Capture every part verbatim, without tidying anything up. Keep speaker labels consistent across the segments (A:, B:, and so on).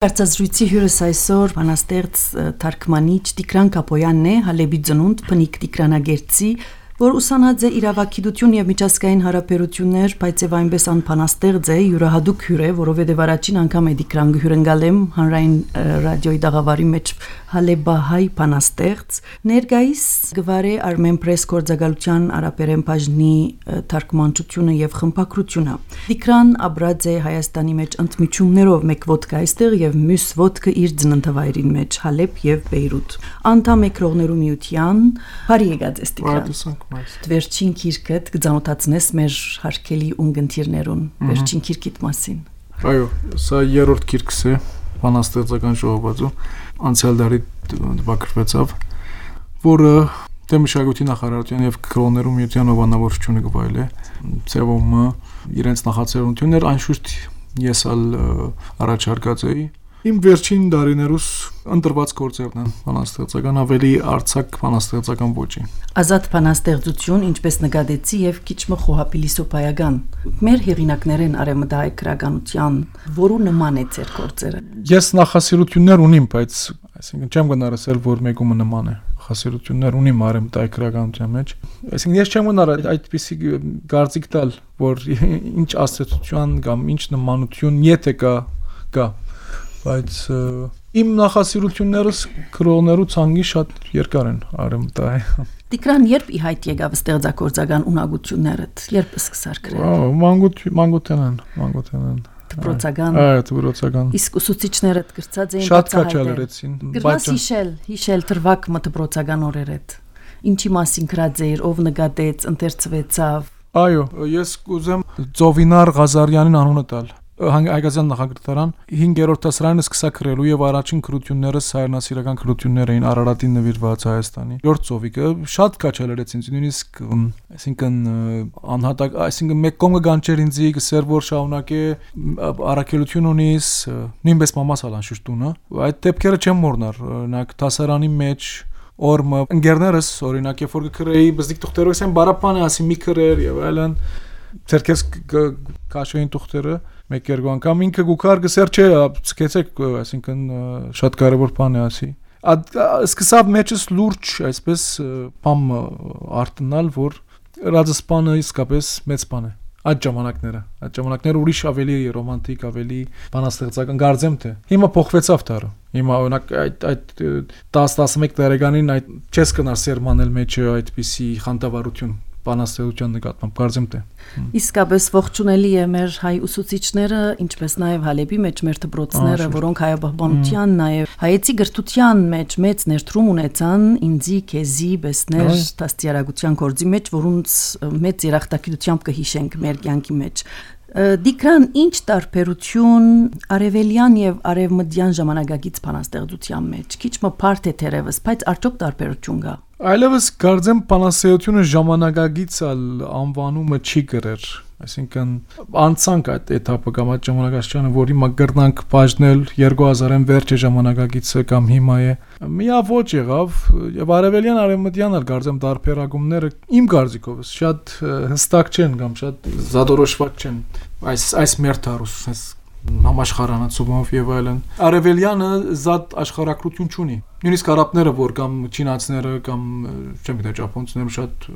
A: Կարծազրույցի հյուրս այսօր բանաստեղծ թարգմանիչ Տիգրան Կապոյանն է, Հալեբի ծնունդ, բնիկ տիգրանագերծի, որ ուսանած է իրավագիտություն եւ միջազգային հարաբերություններ, բայց եւ այնպես անփանաստեղծ է, յուրահատուկ հյուր է, որովհետեւ առաջին անգամ է Տիգրան գհյուրընկալ եմ հանրային ռադիոյի դաղավարի մեջ Հալեբահայ բանաստեղծ, ներկայիս գվարե Armen Press գործակալության արաբերեն բաժնի թարգմանչությունը եւ խմբակրությունը։ Տիգրան ապրած է Հայաստանի մեջ ընդմիջումներով մեկ ոդկա այստեղ եւ մյուս ոդկը իր ծննդավայրին մեջ Հալեբ եւ Բեյրութ։ Անդամ է Քրողներու միության, բարի եկած ես Տիգրան։ Վերջին քիրքդ կձանոթացնես մեր հարգելի ունգընտիրներուն վերջին քիրքիդ մասին։
B: Այո, սա երրորդ քիրքս է բանաստեղծական ժողովածու, անցյալ դարի տպագրվեցավ, որը դե մշակույթի նախարարության եւ Քրողներու միության ովանավորությունը գվայել է, ծեվում իրենց նախաձեռնություններ, անշուշտ ես ալ առաջարկած էի։ Իմ վերջին դարիներուս ընտրված գործերն են բանաստեղծական, ավելի արձակ բանաստեղծական ոճի։
A: Ազատ բանաստեղծություն, ինչպես նկատեցի եւ քիչ մը խոհապիլիսոփայական։ Մեր հեղինակներեն արևմտահայ քրագանության, որու նման է ձեր գործերը։
B: Ես նախասիրություններ ունիմ, բայց այսինքն չեմ գնարսել, որ մեկումը նման է։ Նախասիրություններ ունիմ արևմտահայ քրագանության մեջ։ Այսինքն ես չեմ գնար այդպիսի գարձիկ տալ, որ ինչ ասոցիացիան կամ ինչ նմանություն եթե կա, կա բայց իմ նախասիրություններս Քրողներու ցանկի շատ երկար են արևմտահայ։
A: Տիգրան, երբ ի հայտ եկավ ստեղծագործական ունակություններդ, երբ սկսար գրել։
B: Մանկուց մանկութենն, մանկութենն։
A: Դպրոցական։
B: Այո, դպրոցական։
A: Իսկ ուսուցիչներդ գրծած էին
B: շատ քաչալերեցին։
A: Գրված հիշել, հիշել թրվակ մը դպրոցական օրերդ։ Ինչի մասին գրած էր, ով նկատեց, ընթերցվեցավ։
B: Այո, ես կուզեմ Ծովինար Ղազարյանին անունը տալ։ Հայկազյան նախագրատարան հինգերորդ դասարանը սկսա գրելու եւ առաջին քրություններս հայրենասիրական քրություններ էին Արարատին նվիրված Հայաստանի։ Յորդ ծովիկը շատ քաչալերեց ինձ, նույնիսկ այսինքն անհատակ, այսինքն մեկ կողմը գանչեր ինձ գսեր որ շարունակե առաքելություն ունիս, նույնպես մամաս ալ անշուշտ տունը։ Այդ դեպքերը չեմ մոռնար, օրինակ դասարանի մեջ օրը ընկերներս օրինակ երբ որ գրեի բզդիկ թուղթերով ասեն բարապանը ասի մի գրեր եւ այլն ցերքես քաշային թուղթերը մեկ երկու անգամ ինքը գուքար գսեր չէ, ցկեցեք, այսինքն շատ կարևոր բան է ասի։ Սկսավ մեջս լուրջ, այսպես բամ արտնալ, որ ռադսպանը իսկապես մեծ բան է։ Այդ ժամանակները, այդ ժամանակները ուրիշ ավելի ռոմանտիկ, ավելի բանաստեղծական գարձեմ թե։ Հիմա փոխվեցավ դառը։ Հիմա օրինակ այդ այդ տասը տասնմեկ տարեկանին այդ չես կնար սերմանել մեջը այդպիսի խանդավառություն բանաստեղծության նկատմամբ կարծեմ թե
A: իսկապես ողջունելի է մեր հայ ուսուցիչները, ինչպես նաև Հալեբի մեջ մեր դպրոցները, որոնք հայաբահբանության, նաև հայեցի գրթության մեջ մեծ ներդրում ունեցան ինձի, քեզի, բեսներ, դաստիարակության գործի մեջ, որոնց մեծ երախտագիտությամբ կհիշենք մեր կյանքի մեջ։ Տիգրան, ինչ տարբերություն արևելյան եւ արևմտյան ժամանակակից բանաստեղծության մեջ։ Քիչ մը բարդ է թերևս, բայց արդյոք տարբերություն կա։
B: Այլևս կարծեմ բանաստեղծությունը ժամանակակից անվանումը չի գրեր, այսինքն անցանք այդ էթապը կամ այդ ժամանակաշրջանը, որ հիմա գրնանք բաժնել երկու հազարին վերջի ժամանակակիցը կամ հիմա է։ Միավոր եղավ եւ արևելյան արևմտյան ալ կարծեմ տարբերակումները իմ կարծիքով շատ հստակ չեն կամ շատ զադորոշված չեն։ Այս այս մեր թարուս համաշխարանացումով եւ այլն։ Արևելյանը զատ աշխարհակրություն չունի։ Նույնիսկ արաբները, որ կամ չինացիները կամ չեմ գիտեմ ճապոնցիները շատ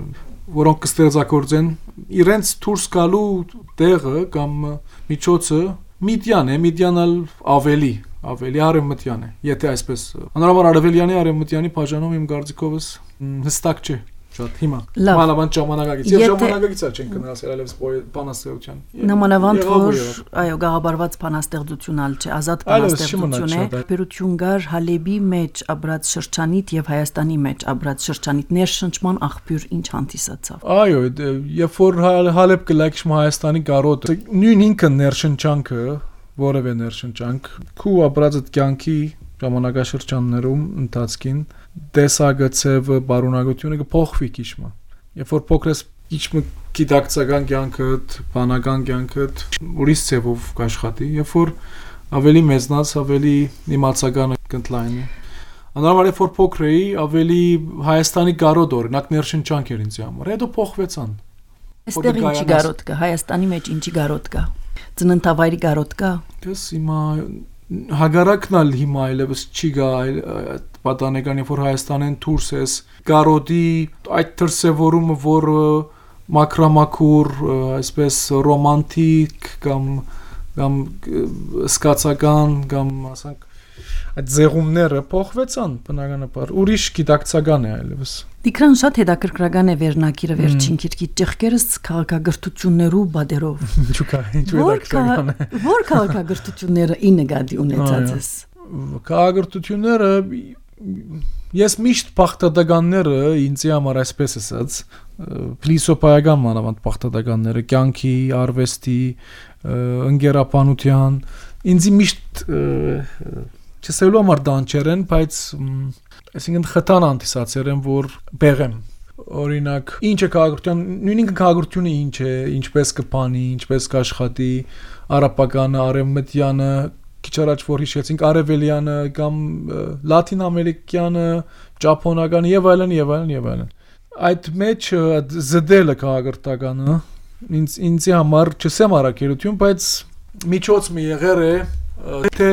B: որոնք կստեղծագործեն իրենց դուրս գալու տեղը կամ միջոցը Միդյան է, Միդյանալ ավելի, ավելի արևմտյան է։ Եթե այսպես անորոշ արևելյանի արևմտյանի բաժանում իմ կարծիքովս հստակ չէ։ Շատ հիմա մանավանդ ժամանակակից եւ ժամանակակից է չեն գնացել այլևս բանաստեղծության
A: նամանավանդ որ այո գաղաբարված բանաստեղծություն ալ չէ ազատ բանաստեղծություն է բերություն գար Հալեբի մեջ ապրած շրջանիտ եւ Հայաստանի մեջ ապրած շրջանիտ ներշնչման աղբյուր ինչ հանդիսացավ
B: այո երբ որ Հալեբ կլայքշմ Հայաստանի գարոտ նույն ինքը ներշնչանքը որևէ ներշնչանք քու ապրած այդ կյանքի ժամանակաշրջաններում ընթացքին տեսագծեվը բարունակությունը կփոխվի քիչմը երբ որ փոքրես քիչմը գիտակցական կյանքդ բանական կյանքդ ուրիշ ծևով կաշխատի երբ որ ավելի մեծնաց ավելի իմացական կընտլայնի անորոշ երբ որ փոքր էի ավելի Հայաստանի գարոտ օրինակ ներշնչանք էր ինձ համար հետո փոխվեցան
A: այստեղ ինչի գարոտ կա Հայաստանի մեջ ինչի գարոտ կա ծննդավայրի գարոտ կա
B: դες հիմա հագարակն ալ հիմա այլևս չի գա պատանեկան երբ որ Հայաստանեն դուրս ես կարոդի այդ դրսևորումը որ մակրամակուր այսպես ռոմանտիկ կամ կամ սկացական կամ ասենք այդ զեղումները փոխվեցան բնականաբար ուրիշ գիտակցական է այլևս
A: Տիկրան շատ հետաքրքրական է վերնակիրը վերջին քիրքի ճեղքերս քաղաքագրություններու բادرով
B: ինչու՞ կա ինչու հետաքրքրական է
A: Որ քաղաքագրությունները ի նկատի ունեցած ես
B: Քաղաքագրությունները ես միշտ բախտադականները ինձ համար այսպես ասած փիլիսոփայական մանավանդ բախտադականները կյանքի արվեստի ընկերապանության ինձ միշտ չսելու համար դանչեր են բայց այսինքն խթան անտիսացեր են որ բեղեմ օրինակ ինչ է քաղաքական նույնիսկ քաղաքությունը ինչ է ինչպես կփանի ինչպես կաշխատի արաբականը արևմտյանը քիչ առաջ որ հիշեցինք արևելյանը կամ լատին ամերիկյանը ճապոնականը եւ այլն եւ այլն եւ այլն այդ մեջ զդելը քաղաքական ինձ ինձ համար չսեմ արակերություն բայց միջոց մի եղեր է թե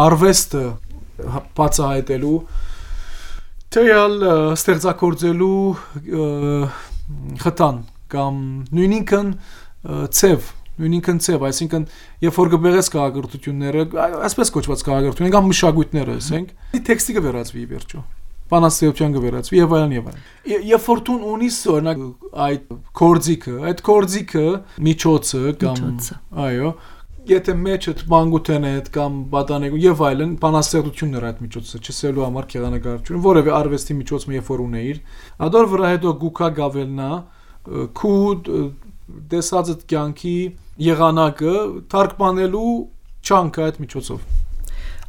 B: արվեստը բացահայտելու թեյալ ստեղծագործելու խթան կամ նույնինքն ցև նույնինքն ցև այսինքն երբ որ գբերես քաղաքագրությունները այսպես կոչված քաղաքագրությունները կամ մշակույթները ասենք տեքստը կվերածվի վերջո բանաստեղծության կվերածվի եւ այլն եւ այլն երբ որ դու ունիս օրինակ այդ կորձիկը այդ կորձիկը միջոցը կամ այո եթե մեջդ մանգութեն հետ կամ պատանեկու եւ այլն բանաստեղծություններ այդ միջոցը չսելու համար քեղանկարություն որևէ արվեստի միջոց մի երբ որ ունեիր ադոր վրա հետո գուքա գավելնա քու դեսածդ կյանքի եղանակը թարգմանելու չանքը այդ միջոցով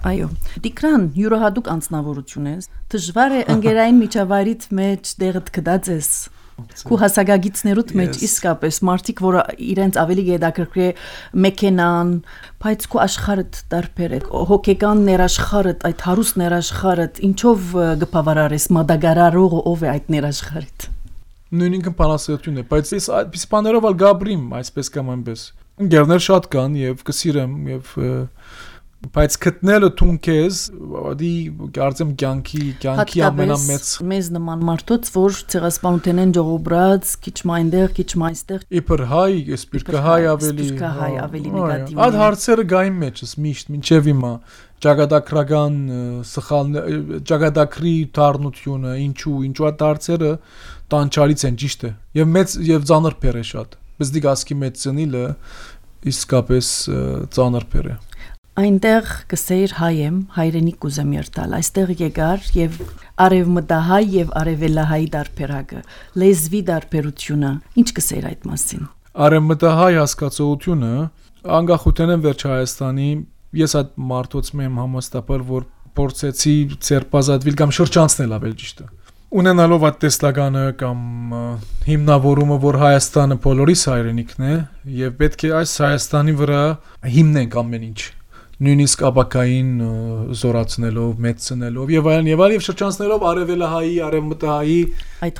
A: Այո, Տիկրան յուրահատուկ անձնավորություն ես, դժվար է ընկերային միջավայրից մեջ դեղդ կդած ես Քու հասակագիցներուտ մեջ իսկապես մարդիկ որ իրենց ավելի գեդակրկրե մեքենան բայց քու աշխարհդ տարբեր է հոգեկան ներաշխարհդ այդ հարուստ ներաշխարհդ ինչով գբավարարես մադագարարողը ով է այդ ներաշխարհդ
B: Նույնիսկ բանաստեղծություն է բայց ես այդպես բաներով ալ գաբրիմ այսպես կամ այնպես ընկերներ շատ կան եւ կսիրեմ եւ բայց գտնելը թունքես դի կարծեմ կյանքի կյանքի ամենամեծ
A: մեզ նման մարդոց որ ցեղասպանության են ժողոբրած քիչ մայնդեղ քիչ մայստեղ
B: իբր հայ սպիրկա հայ ավելի
A: սպիրկա հայ ավելի նեգատիվ
B: այդ հարցերը գային մեջս միշտ մինչև հիմա ճակատագրական սխալ ճակատագրի դառնությունը ինչու ինչու այդ հարցերը տանչալից են ճիշտ է եւ մեծ եւ ծանր փեր է շատ բայց դի գասկի մեծ ծնիլը իսկապես ծանր փեր է
A: Այնտեղ կսեիր հայ եմ, հայրենիք կուզեմ երտալ, այստեղ եկար և արևմտահայ և արևելահայ դարբերակը, լեզվի դարբերությունը, ինչ կսեիր այդ մասին։
B: Արևմտահայ հասկացողությունը, անկախության եմ վերջ Հայաստանի, ես այդ մարդոց եմ համոստապար, որ փորձեցի ցերպազատվել կամ շրջանցնել ավել ճիշտը։ Ունենալով այդ տեսլականը կամ հիմնավորումը, որ Հայաստանը բոլորիս հայրենիքն է, և պետք է այս Հայաստանի վրա հիմնենք ամեն ինչ։ Նույնիսկ ապակային զորացնելով, մեծնելով եւ այլն եւ այլն եւ շրջանցնելով արևելահայի, արևմտահայի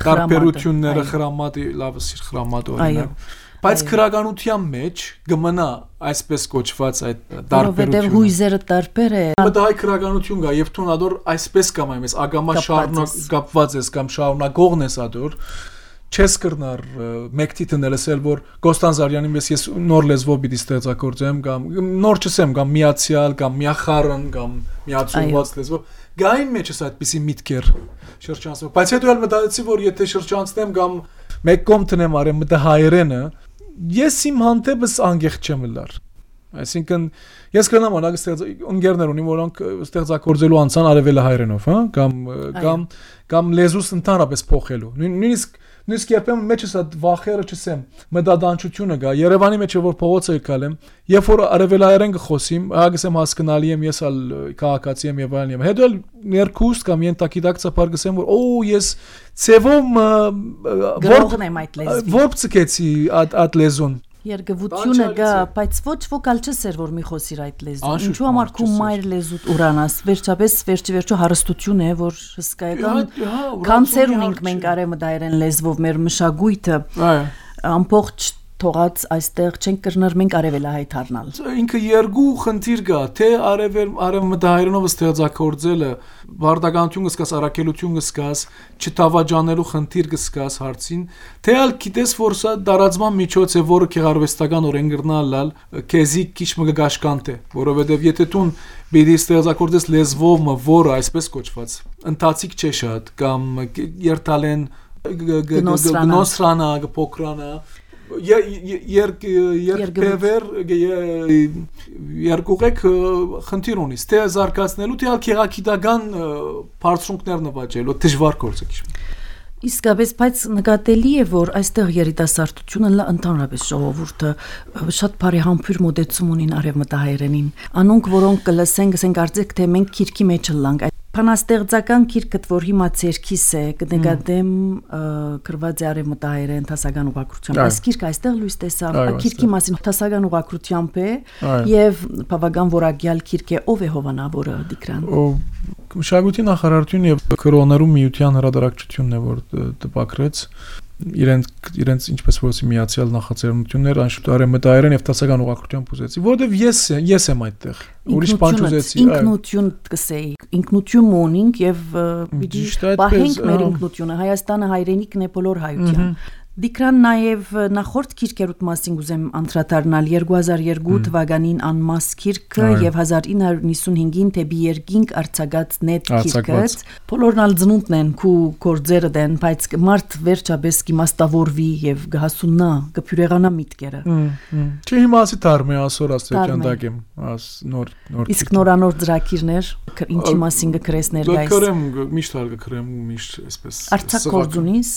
B: տարբերությունները խրամատ, լավ սիր խրամատ օրինակ։ Բայց քրականության մեջ կմնա այսպես կոչված այդ տարբերությունը։
A: Որովհետեւ հույզերը տարբեր է։
B: Մտահայ քրականություն կա եւ թուն ադոր այսպես կամ այնպես ագամա շարունակ կապված ես կամ շարունակողն ես ադոր Չես կրնար մեկտի տնելսել որ Կոստանզարյանի մեզ ես նոր լեզվով պիտի ստեղծագործեմ կամ նոր չսեմ կամ միացյալ կամ միախառն կամ միացումված լեզվով գային մեջս այդպիսի միտքեր շրջանցում բայց հետո էլ մտածեցի որ եթե շրջանցնեմ կամ մեկ կողմ տնեմ արեմ մտա հայերենը ես իմ հանդեպս անգեղ չեմ լար այսինքն ես կնամ անակ ընկերներ ունիմ որոնք ստեղծագործելու անցան արևելահայերենով հա կամ կամ կամ լեզուս ընդհանրապես փոխելու նույնիսկ Նույնիսկ երբեմն մեջս այդ վախերը չսեմ, մտադանչությունը գա, Երևանի մեջ որ փողոցը եկալեմ, երբ որ արևելահայերեն կխոսիմ, ահագսեմ հասկանալի եմ, ես ալ քաղաքացի եմ եւ այլն եմ։ Հետո ներքուստ կամ ենթակիդակցաբար գսեմ որ օ ես ցևում
A: որողն եմ այդ լեզվի։
B: Որբ ցկեցի այդ այդ լեզուն։
A: Երգվությունը գա, բայց ոչ վոկալ չսեր որ մի խոսիր այդ լեզուն։ Ինչու համար քու մայր լեզուտ ուրանաս, վերջապես վերջի վերջո հարստություն է, որ հսկայական կանցեր ունենք մենք արևմտահայերեն լեզվով մեր մշակույթը ամբողջ թողած այստեղ չենք կրներ մենք արևելահայ դառնալ։
B: Ինքը երկու խնդիր կա, թե արևել արևմտահայերենով ստեղծագործելը բարդականություն կսկաս, առաքելություն կսկաս, չտավաճանելու խնդիր կսկաս հարցին, թե ալ գիտես որ սա դարածման միջոց է, որը գեղարվեստական օրեն գրնալալ, քեզի քիչ մը գաշկանտ է, որովհետև եթե դու բիդի ստեղծագործես լեզվով, որը այսպես կոչված, ընթացիկ չէ շատ կամ երթալեն գնոսրանա, գփոքրանա երկբևեր երկուղեք խնդիր ունի, թե զարգացնելու, թե գեղագիտական բարձունքներ նվաճելու, դժվար գործ է քիչ։
A: Իսկապես, բայց նկատելի է, որ այստեղ երիտասարդությունը լա ընդհանրապես ժողովուրդը շատ բարի համբույր մոտեցում ունին արևմտահայերենին։ Անոնք, որոնք կլսեն, գսեն կարծեք, թե մենք քիրքի մեջ լանք։ Բանաստեղծական քիրքդ, որ հիմա ցերքիս է, կնկատեմ գրված է արևմտահայերեն դասական ուղղակրությամբ։ Այս քիրքը այստեղ լույս տեսավ, քիրքի մասին դասական ուղղակրությամբ է եւ բավական որակյալ քիրք է, ով է հովանավորը Դիկրան։
B: Մշակույթի նախարարությունը եւ կրոնարու միության հրատարակչությունն է, որ տպագրեց իրենց իրենց ինչպես որ միացյալ նախաձեռնություններ անշուշտ արևմտահայերեն եւ դասական ուղղակրությամբ ուզեցի, որովհետեւ ես ես եմ այդտեղ։ Ուրիշ բան չուզեցի։
A: Ինքնություն կսեի, ինքնություն ունենք եւ պիտի պահենք մեր ինքնությունը։ Հայաստանը հայրենիքն է բոլոր հայության։ Դիկրան նաև նախորդ քիրքերուտ մասին ուզեմ անդրադառնալ երկու հազար երկու թվականին անմաս քիրքը եւ հազար ինը հարյուր նվաթ թեպի երկինք արձակած նետ քիրքը բոլորն ալ ծնունդն են քու գործերը դեն բայց մարդ վերջապես կիմաստավորվի եւ գահասուննա կփյուրեղանա միտքերը
B: Չի հիմա ասի դարմե ասոր աստիճան դակեմ աս նոր նոր
A: իսկ նորանոր ծրագիրներ ինչի մասին կգրես ներկայիս
B: կգրեմ միշտ ալ կգրեմ միշտ այսպես
A: Արցախ գործունից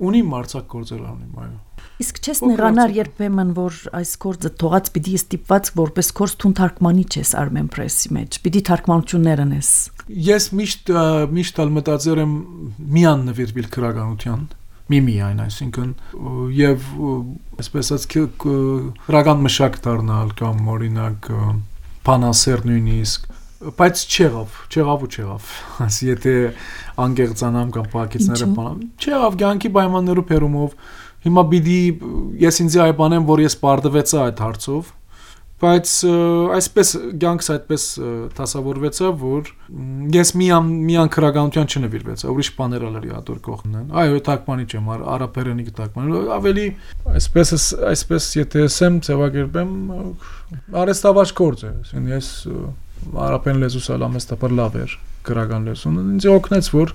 B: Ունի մարցակ գործեր անում, այո։
A: Իսկ չես նեղանար երբեմն, որ այս գործը թողած պիտի ստիպված որպես գործ թուն թարգմանիչ ես Armen Press-ի մեջ, պիտի թարգմանություններ անես։
B: Ես միշտ միշտ ալ մտածել եմ միան նվիրվել քրականության, միմիայն, այսինքն եւ այսպես ասած քրական մշակ դառնալ կամ օրինակ բանասեր նույնիսկ բայց չեղավ, չեղավ ու չեղավ։ Ասի եթե անգեղծանամ կամ պակեցները բանամ, չեղավ ցանկի պայմաններով փերումով։ Հիմա պիտի ես ինձ այ բանեմ, որ ես պարտվեցա այդ հարցով, բայց այսպես ցանկս այդպես դասավորվեցա, որ ես միան միան քրականության չնվիրվեցա, ուրիշ բաներ ալերի ադոր կողմն։ Այո, թարգմանիչ եմ, արաբերենի թարգմանիչ, ավելի այսպես այսպես եթե ասեմ, ձևակերպեմ, արեստավաճ գործ է, ասեն ես Արաբեն լեզուս ալամեստապար լավ էր գրական լեզուն ինձ օգնեց որ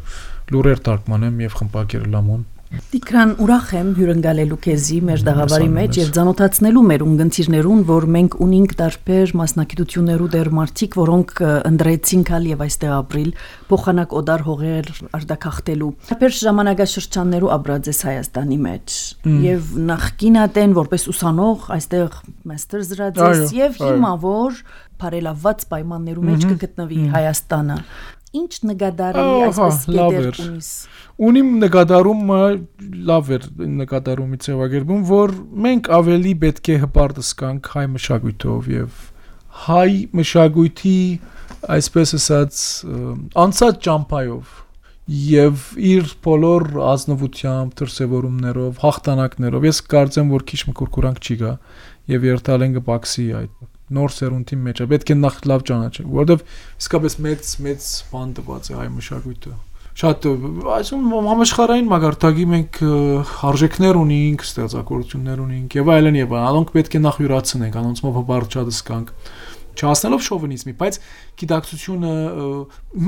B: լուրեր թարգմանեմ եւ խմբակեր լամոն
A: Դիկրան ուրախ եմ հյուրընկալելու քեզի մեր դաղավարի մեջ եւ ցանոթացնելու մեր ունգընտիրներուն որ մենք ունենք տարբեր մասնակցություններու դեր մարդիկ որոնք ընդրեցին կալ եւ այստեղ ապրիլ փոխանակ օդար հողեր արտակախտելու տարբեր ժամանակաշրջաններու ապրած ես Հայաստանի մեջ եւ նախկինատեն որպես ուսանող այստեղ մաստեր զրացես եւ հիմա որ բարելավված պայմաններու մեջ կգտնվի Հայաստանը Ինչ նկատառի այսպես գետեր ունիս
B: Ունիմ նկատառումը լավ էր նկատառումի ձևակերպում որ մենք ավելի պետք է հպարտս կանք հայ մշակույթով եւ հայ մշակույթի այսպես ասած անցած ճամփայով եւ իր բոլոր ազնվությամբ դրսեւորումներով հաղթանակներով ես կարծեմ որ քիչ մկուրկուրանք չի գա եւ երթալ են կպաքսի այդ նոր սերունդի մեջ է պետք է նախ լավ ճանաչենք որովհետեւ իսկապես մեծ մեծ բան տված է հայ մշակույթը շատ այսում համաշխարհային մագարտակի մենք արժեքներ ունենք ստեղծագործություններ ունենք եւ այլն եւ անոնք պետք է նախ յուրացնենք անոնցով հբարչած կանք չհասնելով շովինիզմի բայց գիտակցությունը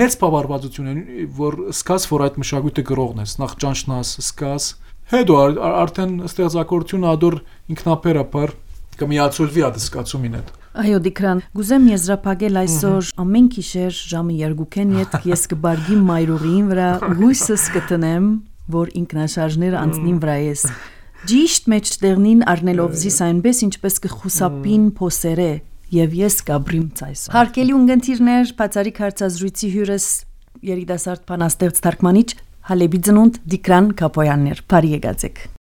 B: մեծ բավարարվածություն է որ սկաս որ այդ մշակույթը գրողն ես նախ ճանչնաս սկաս հետո արդեն ստեղծագործությունը ադոր ինքնաբերաբար կմիացոլվի ադսկացումին հետ
A: Այո Դիկրան, գուզեմ եզրափակել այսօր ամեն գիշեր ժամը երկուքեն յետ ես կբարգի մայրուղին վրա հույսս կտնեմ, որ ինքնաշարժները անցնին վրա ես։ Ճիշտ մեջտեղնին առնելով զիս այնպես ինչպես կխուսապին փոսերը եւ ես կաբրիմ ցայս։ Հարկելի ունգընտիրներ, բացարիք հարցազրույցի հյուրս երիտասարդ բանաստեղծ թարգմանիչ Հալեբի ծնունդ Դիկրան Կապոյաններ։ Բարի եկացեք։